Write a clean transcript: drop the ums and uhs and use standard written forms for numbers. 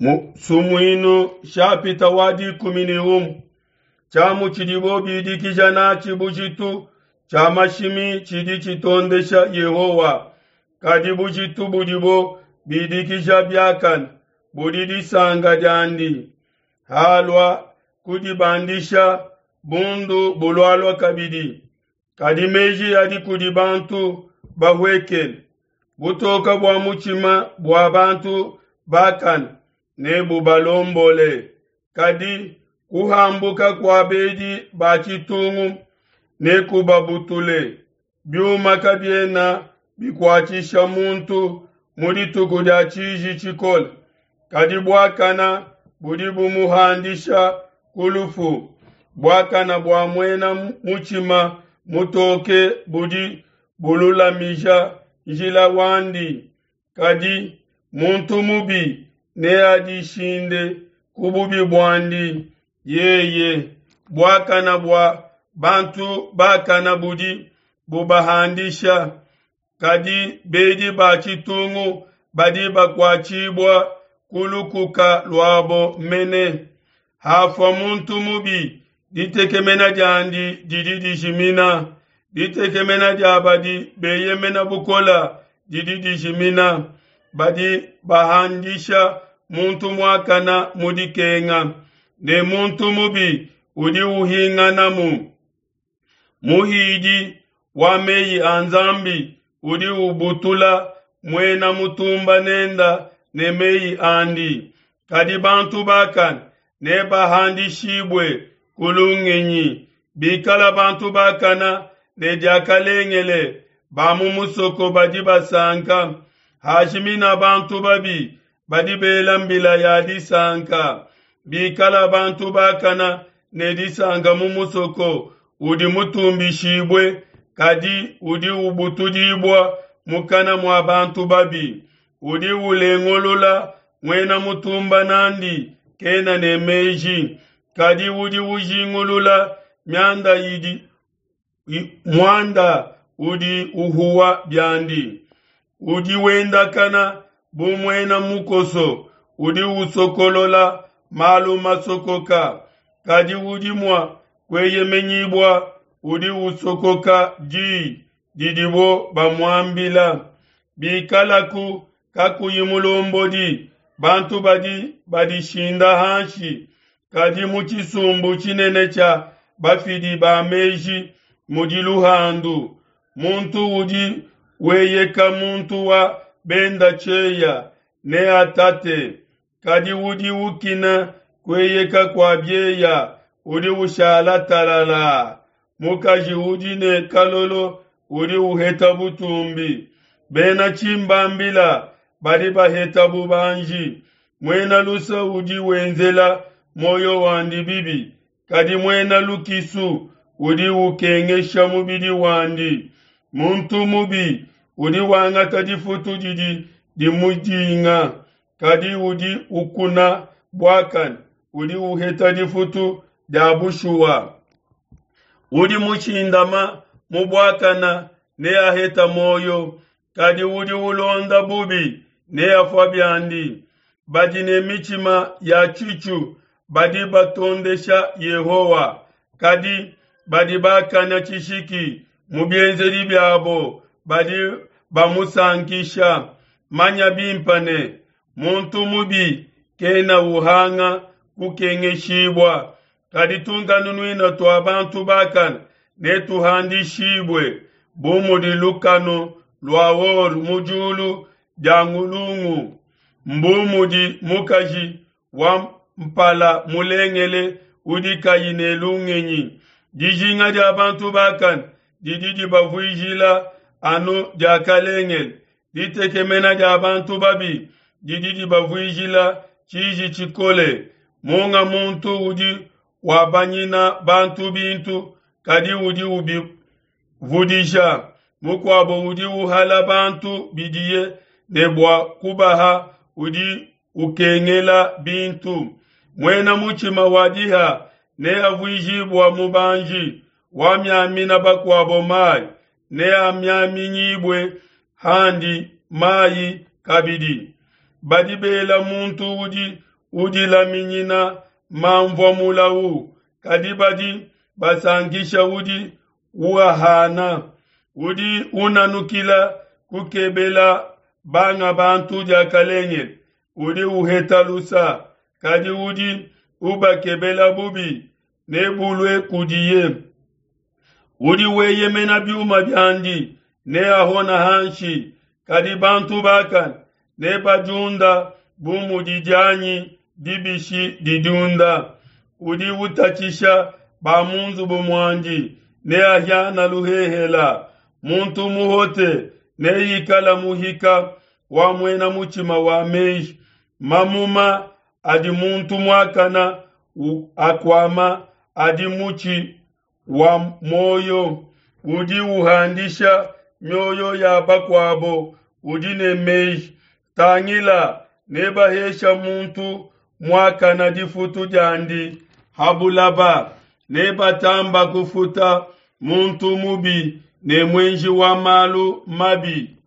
Mu Sumuinu shapita wa 11, tshiamu tshidibo bidikija natshi bujitu tshia mashimi tshidi tshitondesha Yehowa, kadi bujitu budibo bidikija biakane budi disanka diandi. Halua kudibandisha, bundu bulualua kabidi, kadi meji adi kudi bantu bahuekele. Butoka bua mutshima bua bantu bakane nebubalombole, kadi kuhambuka kua bedi ba tshitungu nekubabutule. Biuma kabiena bikuatshisha muntu mu dituku dia tshiji tshikole, kadi buakana budi bumuhandisha ku lufu. Buakana bua muena mutshima mutoke budi bululamija njila wandi, kadi muntu mubi neadishinde ku bubi buandi yeye. Buakana bua bantu bakana budi bubahandisha, kadi bedi ba tshitungu badi bakuatshibua ku lukuka luabo mene. Hafua muntu mubi, ditekemena diandi didi dijimina, ditekemena dia badi beyemena bukola didi dijimina. Badi bahandisha muntu muakana mu dikenga, ne muntu mubi udi uhinganamu. Muhidi wa meyi a Nzambi udi ubutula muena mutumba nenda ne meyi andi, kadi bantu bakane nebahandishibue ku lungenyi. Bikala bantu bakana ne diakalengele, ba mu musoko badi basanka. Hajimina bantu babi, badi bela mbila ya disanka. Bikala bantu bakana ne disanka mu musoko udi mutumbishibue, kadi udi ubutudibua mukana mua bantu babi. Udi ulengulula muena mutumba nandi kena ne meji, kadi udi ujingulula mianda idi muanda udi uhuwa biandi. Udi wendakana bu muena mukoso, udi usokolola malu masokoka, kadi udi mua kueyemenyibua udi usokoka diyi didibo bamuambila. Bikalaku kakuyi mulombodi, bantu badi badishinda hanshi, kadi mu tshisumbu tshinene tshia bafidi ba meji mudi luhandu. Muntu udi weyeka muntu wa benda tshieya neatate, kadi udi ukina kueyeka kua bieya udi ushala talala. Mukaji udi ne kalolo udi uheta butumbi, bena tshimbambila badi baheta bubanji. Muena lusa udi wenzela muoyo wandi bibi, kadi muena lukisu udi ukengesha mubidi wandi. Muntu mubi udi wangata difutu didi dimudinga, kadi udi ukuna buakane udi uheta difutu dia bushuwa. Udi mushindama mu buakana neaheta muoyo, kadi udi ulonda bubi neafua biandi. Badi ne mitshima ya tshitshu badi batondesha Yehowa, kadi badi bakana tshishiki mu bienzedi biabo badi bamusankisha. Manya bimpe ne, muntu mubi kena uhanga kukengeshibua, kadi tunkanunuina tua bantu bakane netuhandishibue bu mudi lukanu lua or mu diulu dia ngulungu, mbu mudi mukaji wa mpala mulengele udi kayi ne lungenyi. Dijinga dia bantu bakane didi dibavuijila anu diakalengele, ditekemena dia bantu babi didi dibavuijila tshiji tshikole. Munga muntu udi wabanyina bantu bintu, kadi udi ubivudija. Mukuabo udi uhala bantu bidiye ne bua kubaha, udi ukengela bintu. Muena mutshima wa diha neavuijibua mubanji, wamiamina bakuabo mayi neamiaminyibue handi mayi kabidi. Badi bela muntu udi udilaminyina manvua mulau, kadi badi basankisha udi uahana. Udi unanukila kukebela banga bantu diakalengele, udi uheta lusa, kadi udi ubakebela bubi nebulue kudiye. Udi weyemena biuma biandi neahona hanshi, kadi bantu bakane nebadiunda bu mudi dianyi dibishi didiunda. Udi utatshisha ba mu nzubu muandi neahiana luhehela. Muntu muhote neikala muhika wa muena mutshima wa meji. Mamuma adi muntu muakana akuama adi mutshi wa muoyo. Udi uhandisha mioyo ya bakuabo udi ne meji. Tangila, nebahesha muntu muakana difutu diandi ha bulaba, nebatamba kufuta muntu mubi ne muenji wa malu mabi.